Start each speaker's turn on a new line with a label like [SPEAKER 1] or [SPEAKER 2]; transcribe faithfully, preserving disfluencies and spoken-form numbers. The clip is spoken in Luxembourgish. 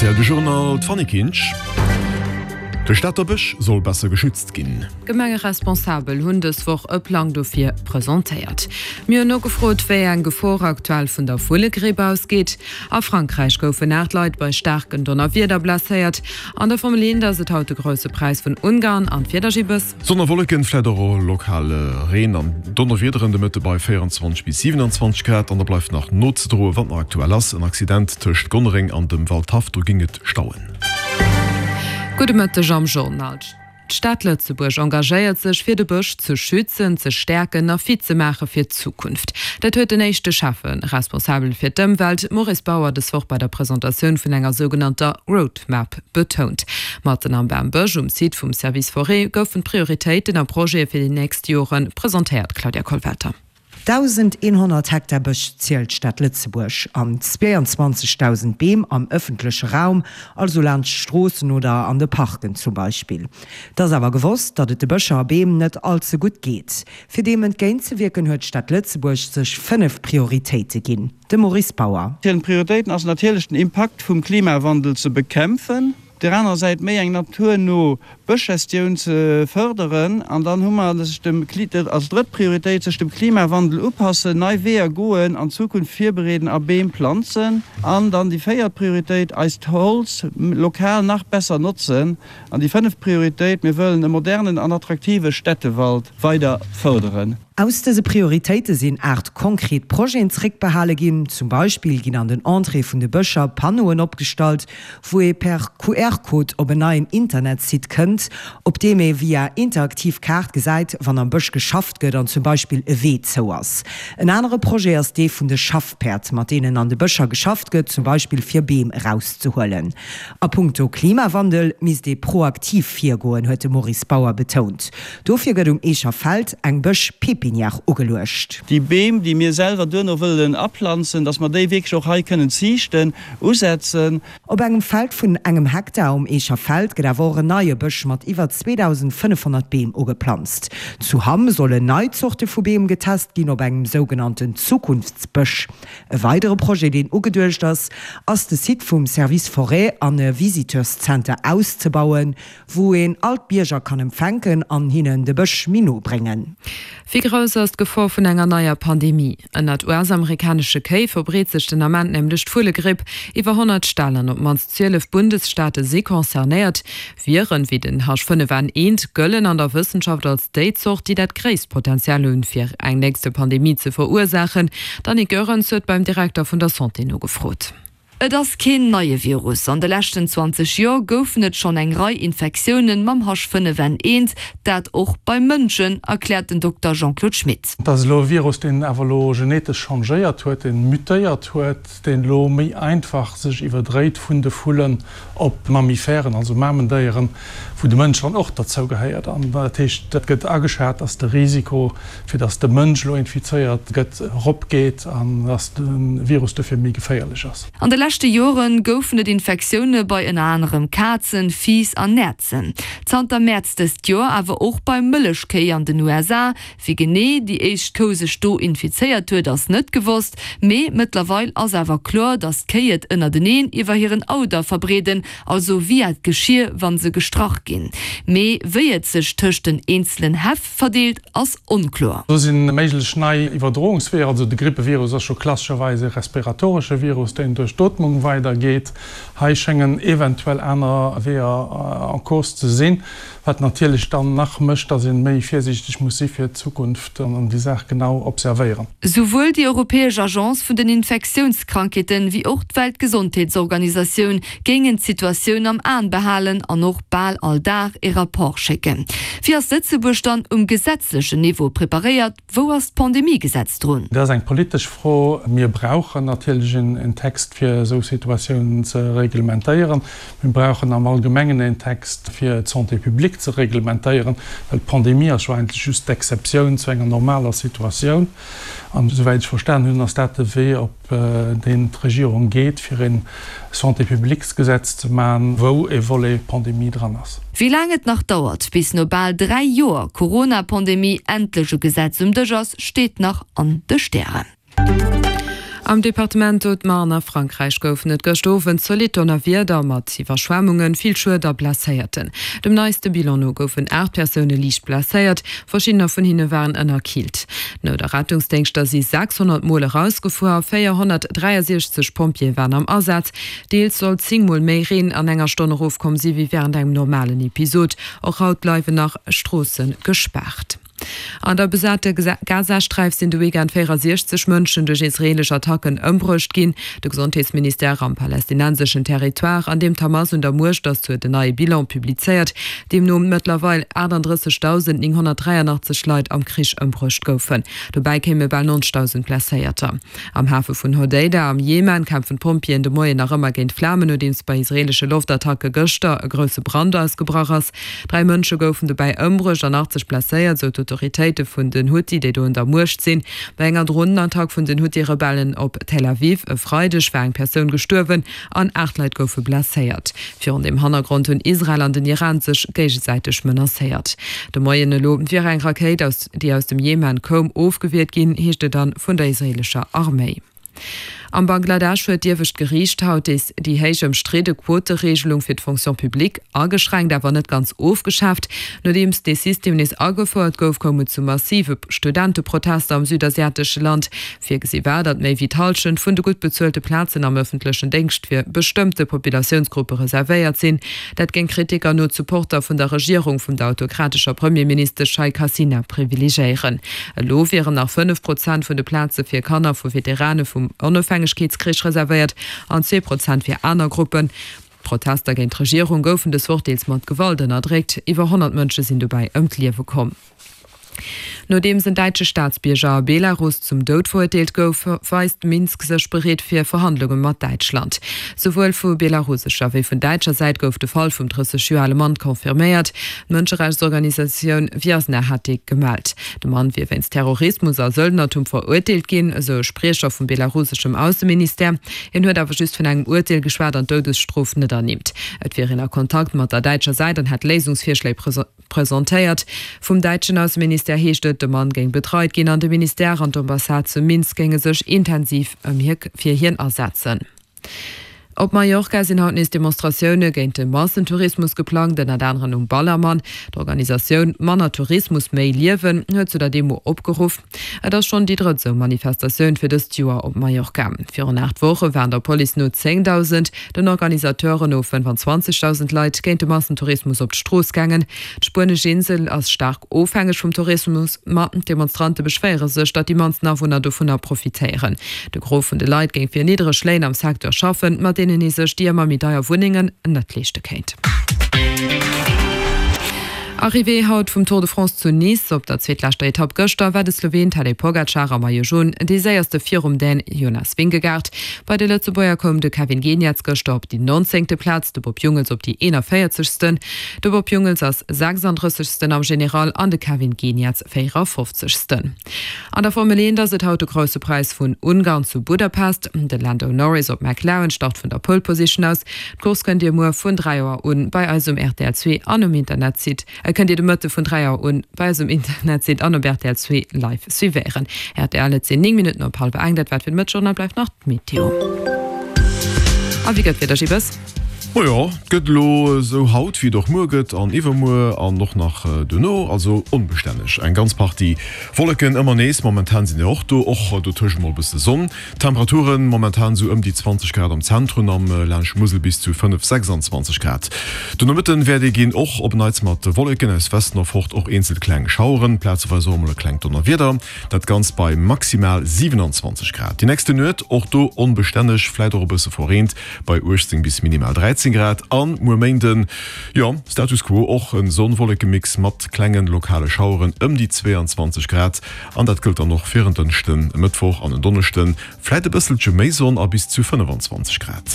[SPEAKER 1] Rtl De Journal, d'Fanny Kinsch. De Stater Bësch soll besser geschützt ginn.
[SPEAKER 2] Gemengeresponsabel hunn dës Woch e Plang dofir presentéiert. Mir hunn nogefrot, wéi eng Gefor aktuell vun der Vullegripp ausgeet. A Frankräich goufen aacht Leit bei staarken Donnerwieder blesséiert. An der Formel eent ass et haut de Grousse Präis vun Ungarn an d'Wieder Gibbes.
[SPEAKER 1] Sonn a Wolleken, vläit och lokal Reen an Donnerwiederen de Mëtte bei véierenzwanzeg bis siwenanzwanzeg Grad. An da bleift nach nozedroen, wat nach aktuell ass, en Accident tëscht Gonnereng an dem Waldhaff, do géing et stauen.
[SPEAKER 2] Gudde Mëtteg am Journal. D'Stad Lëtzebuerg engagéiert sech fir de Bësch ze schützen, ze stäerken a fit ze maache fir d'Zukunft. Dat huet den éischte Schäffe responsabel fir d'Ëmwelt, Maurice Bauer, dës Woch bei der Presentatioun vun enger sougenannter Roadmap betount. Matten am Bambësch um Site vum Service Forêt goufen d'Prioritéiten a Projete fir déi nächst Jore presentéiert. Claudia Kollwelter.
[SPEAKER 3] Dausendeenhonnert Hektar Bësch zielt d'Stad Lëtzebuerg an zweeanzwanzegdausend Beem am ëffentleche Raum, also laanscht Stroossen oder an de Parken zum Beispill. Et ass awer gewosst, datt et de Bëscher a Beem net all ze gutt geet. Fir deem entgéintzewierken huet d'Stad Lëtzebuerg sech fënnef Prioritéite ginn. De Maurice Bauer.
[SPEAKER 4] Prioritéiten ass natierlech den Impakt vum Klimawandel ze bekämpfen. Op där anerer Säit méi eng naturno Bëschgestioun ze fërderen. An dann hu mer sech dem, als drëtt Prioritéit, sech dem Klimawandel upassen, nei Weeër goen, an d'Zukunft virbereeden a Beem planzen. An dann déi véiert Prioritéit, eist Holz lokal nach besser notzen. An déi fënneft Prioritéit, mir wëllen e modernen an attraktive Städtewald weider fërderen.
[SPEAKER 3] Aus dëse Prioritéite sinn aacht konkret Projeten zréckbehale ginn. Zum Beispill ginn an den Entréeë vun de Bëscher Panneauen opgestallt, wou ee per Q R-Code op en neien Internetsite kënnt, op deem ee via interaktiv Kaart gesäit, wann am Bësch geschafft gëtt an zum Beispill e Wee zou ass. En anere Projet ass dee vun de Schaffpäerd, mat deenen an de Bëscher geschafft gëtt, zum Beispill fir Beem erauszehuelen. A punkto Klimawandel misst ee proaktiv virgoen, huet de Maurice Bauer betount. Dofir gëtt um Eecher Feld eng Bësch-Pépinière ugeluecht.
[SPEAKER 4] Déi Beem, déi mir selwer duerno wëllen aplanzen, dass mer déi wierklech och hei kënnen ziichten, usetzen.
[SPEAKER 3] Op engem Feld vun engem Hektar um Eecher Feld gëtt awer och en neie Bësch mat iwwer zweedausendfënnefhonnert Beem ugeplanzt. Zu Hamm sollen nei Zorte vu Beem getest ginn op engem sougenannten Zukunftsbësch. E weidere Projet, deen ugeduecht ass, ass de Site vum Service Forêt an e Visiteurszenter auszebauen, wou een all d'Bierger kann empfänken an hinnen de Bësch méi no bréngen.
[SPEAKER 2] Wéi grouss ass d'Gefor vun enger neier Pandemie? Ënnert U S-amerikanesche Kéi verbreet sech den Ament nämlech d'Vullegripp. Iwwer honnert Ställ an op d'mannst zwielef Bundesstaate si concernéiert. Viren wéi den H fënnef N eent gëllen an der Wëssenschaft als déi Zort, déi dat gréisst Potenzial hunn, fir eng nächste Pandemie ze verursaachen. D'Annick Goerens huet beim Direkter vun der Santé nogefrot.
[SPEAKER 5] Et ass keen neie Virus. An de leschten zwanzeg Joer goufen et schonn eng Rei Infektioune mam H fënnef N eent, dat och bei Mënschen, erkläert den Dokter Jean-Claude Schmit.
[SPEAKER 6] Et ass elo e Virus, deen awer elo genetesch changéiert huet, deen mutéiert huet, deen elo méi einfach sech iwwerdréit vun de Vullen op Mammifären, also Mamendéieren, wou de Mënsch dann och derzou gehéiert. An dat heescht, et gëtt ageschat, dass de Risiko, fir dass de Mënsch elo infizéiert gëtt, eropgeet an dass de Virus dofir méi geféierlech ass.
[SPEAKER 5] An de leschte Jore goufen et Infektioune bei ënner anerem Kazen, Fiiss an Näerzen. Zanter Mäerz dëst Joer awer och bei Mëllechkéi an den U S A. Wéi genee déi éischt Kou sech do infizéiert huet, ass net gewosst. Mee mëttlerweil ass awer kloer, datt d'Kéi et ënnerteneen iwwer hiren Auder verbreeden, also via d'Geschier, wa se gestrach ginn. Mee wéi et sech tëscht den eenzelen Häff verdeelt, ass onkloer.
[SPEAKER 6] Do si méiglech nei Iwwerdroungsweeër. Also de Grippevirus ass scho klassescherweis e respiratoresche Virus, deen duerch d'Ootmung weidergeet. Hei schéngen eventuell aner Weeër en cause ze sinn, wat natierlech dann nach mécht, datt ee méi virsiichteg muss si fir d'Zukunft an déi Saach genau observéieren.
[SPEAKER 5] Souwuel déi europäesch Agence vun den Infektiounskrankheeten, wéi och d'Weltgesondheetsorganisatioun géingen d'Situatioun am Aen behalen an och bal all Dag ee Rapport schécken. Wéi ass Lëtzebuerg dann um gesetzlechen Niveau preparéiert? Wou ass d'Pandemiegesetz drun?
[SPEAKER 6] Dat ass eng politesch Fro. Mir brauchen natierlech en Text, fir esou Situatiounen ze reglementéieren. Mir brauchen am Allgemengen en Text, fir d'Santé publique ze reglementéieren, well d'Pandemie ass jo eigentlech just d'Exceptioun zu enger normaler Situatioun. An esouwäit ech verstan hunn, ass dat de Wee, op deen d'Regierung geet, fir e Santé-publiques-Gesetz ze maachen, wou e Volet Pandemie dran ass.
[SPEAKER 5] Wéi laang et nach dauert, bis no bal dräi Joer Corona-Pandemie endlech e Gesetz um Dësch ass, steet nach an de Stären.
[SPEAKER 2] Am Departement Haute-Marne a Frankräich goufen et gëscht Owend zolidd Donnerwieder mat Iwwerschwemmungen, vill Schued a Blesséierten. Dem neiste Bilan no goufen aacht Persoune liicht blesséiert, verschiddener vun hinne waren ënnerkillt. D'Nout a Rettungsdéngschter si sechshonnert Mol erausgefuer a véierhonnertdräiasiechzeg Pompjeeë waren am Asaz. Deels soll zéng Mol méi Reen an enger Stonn erofkomm si wéi wärend engem normalen Episod. Och haut bleiwen nach Stroosse gespaart. An der besate Gazasträif sinn de Weekend véierasiechzeg Mënschen duerch israeelesch Attacken ëmbruecht ginn. De Gesondheetsministère am palästinenseschen Territoire, an deem d'Hamas un der Muecht ass, huet en neie Bilan publizéiert, deemno mëttlerweil achtandrëssegdausend nénghonnertdräianachtzeg Leit am Krich ëmbruecht goufen. Dobäi kéime bal neunzegdausend Blesséierter. Am Hafe vun Hodeida am Jemen kämpfen d'Pompjeeën de Moien nach ëmmer géint d'Flamen, nodeems bei israeelesche Loftattacke gëschter e grousse Brand ausgebrach ass. Dräi Mënsche goufen dobäi ëmbruecht an achtzeg blesséiert, sou d'Autoritéite vun den Huthi, déi do un der Muecht sinn. Bei enger Dronenattack vun den Huthi-Rebellen op Tel Aviv e Freideg war eng Persoun gestuerwen an aacht Leit goufe blesséiert. Virun deem Hannergrond hunn Israel an den Iran sech géigesäiteg menacéiert. De Moien elo wier eng Rakéit, déi aus dem Jemen koum, ofgewiert ginn, heescht et dann vun der israeelescher Arméi. Am Bangladesch huet d'iewescht Geriicht haut déi héich ëmstridde Quotereegelung fir d'Fonction publique ageschränkt, awer net ganz ofgeschaaft. Nodeems dee System nees agefouert gouf, koum et zu massive Studenteprotester am südasiatesche Land. Virgesi war, datt méi wéi d'Hallschent vun de gutt bezuelte Plazen am ëffentlechen Déngscht fir bestëmmte Populatiounsgruppe reservéiert sinn. Dat géing Kritiker no d'Supporter vun der Regierung vun der autokratescher Premierministesch Sheikh Hasina privilegéieren. Elo wieren nach fënnef Prozent vun de Plaze fir Kanner vu Veterane vum Onofhängegkeetskrich reservéiert an zwee Prozent fir aner Gruppen. D'Protester géint d'Regierung goufen dës Woch deels mat Gewalt ënnerdréckt. Iwwer honnert Mënsche sinn dobäi ëm d'Liewe komm. Nodeems en däitsche Staatsbierger a Belarus zum Doud verurteelt gouf, weist Minsk sech bereet fir Verhandlunge mat Däitschland. Souwuel vu belarusescher wéi vun däitscher Säit gouf de Fall vum drësseg Joer ale Mann confirméiert. D'Mënscherechtsorganisatioun Viasna hat dee gemellt. De Mann wier wéinst Terrorismus a Söldnertum verurteelt ginn, esou e Spriecher vum belaruseschem Ausseministère. Hien huet awer just vun engem Urteel geschwat an d'Doudesstrof net ernimmt. Et wier een a Kontakt mat der däitscher Säit an hätt Léisungsvirschléi presentéiert. Vum däitschen Ausseministère heescht et, de Mann géing betreit ginn an de Ministère an d'Ambassade zu Minsk géinge sech intensiv ëm hie fir hien asetzen. Op Mallorca sinn haut nees Demonstratioune géint de Massentourismus geplangt, ënnert anerem um Ballermann. D'Organisatioun Manner Tourismus, méi Liewen huet zu der Demo opgeruff. Et ass schonn déi drëtt esou Manifestatioun fir dëst Joer op Mallorca. Virun aacht Woche waren der Police no zéngdausend, den Organisateuren no fënnefanzwanzegdausend Leit géint de Massentourismus op d'Strooss gaangen. D'spuenesch Insel ass staark ofhängeg vum Tourismus, ma d'Demonstrante beschwéiere sech, datt déi mannsten Awunner dovunner profitéieren. De Gros vun de Leit géing fir niddreg Léin am Secteur schaffen, mat deenen ee sech déi ëmmer méi deier Wunnengen net leeschte kéint. Arrivée haut vum Tour de France zu Nice. Op der zweetleschter Etapp gëschter war de Sloween Tadej Pogacar am Maillot Jaune dee séierste virum Dän Jonas Vingegaard. Bei de Lëtzebuerger koum de Kevin Geniets gëschter op déi nonzéngte Plaz, de Bob Jungels op déi eenanvéierzegsten. De Bob Jungels ass sechsandrëssegsten am General an de Kevin Geniets véierafofzegsten. An der Formel eent ass et haut de Grousse Präis vun Ungarn zu Budapest. De Lando Norris op McLaren start vun der Pole Position aus. D'Course kënnt Dir muer vun dräi Auer un bei eis um rtl zwee an um Internetsite kënnt Dir de Mëtte vun dräi Auer un bei eis um Internetsite an op rtl zwee live suivéieren. Rtl, Et sinn néng Minutten op hallwer eng. Dat war et fir de Mëttjournal. Bleift nach d'Meteo. A wéi gëtt d'Wieder, Gibes?
[SPEAKER 1] Majo, et gëtt elo esou haut wéi et och muer gëtt an iwwermuer an och nach duerno, also onbestänneg. Eng ganz Partie Wolleken ëmmer nees, momentan sinn der och do, och dotëscht mol e bësse Sonn. Temperaturen momentan esou ëm déi zwanzeg Grad am Zentrum, am laanscht Musel bis zu fënnef, sechsandzwanzeg Grad. De Nomëtten wäert ee ginn och op Neits mat Wolleken aus Westen erfort, och eenzel kleng Schaueren, plazeweis och emol e klengt Donnerwieder, dat Ganzt bei maximal siwenanzwanzeg Grad. Déi nächste Nuet och do onbestänneg, fläit och e bësse verreent, bei uechtzéng bis minimal dräizéng Grad an muer Méinden, jo, Status quo, och en Sonn-Wolleke-Mix mat klengen lokale Schaueren ëm déi zweeanzwanzeg Grad an dat gëllt dann och fir en Dënschden, e Mëttwoch an en Donneschden, fläit e bësselche méi Sonn a bis zu fënnefanzwanzeg Grad.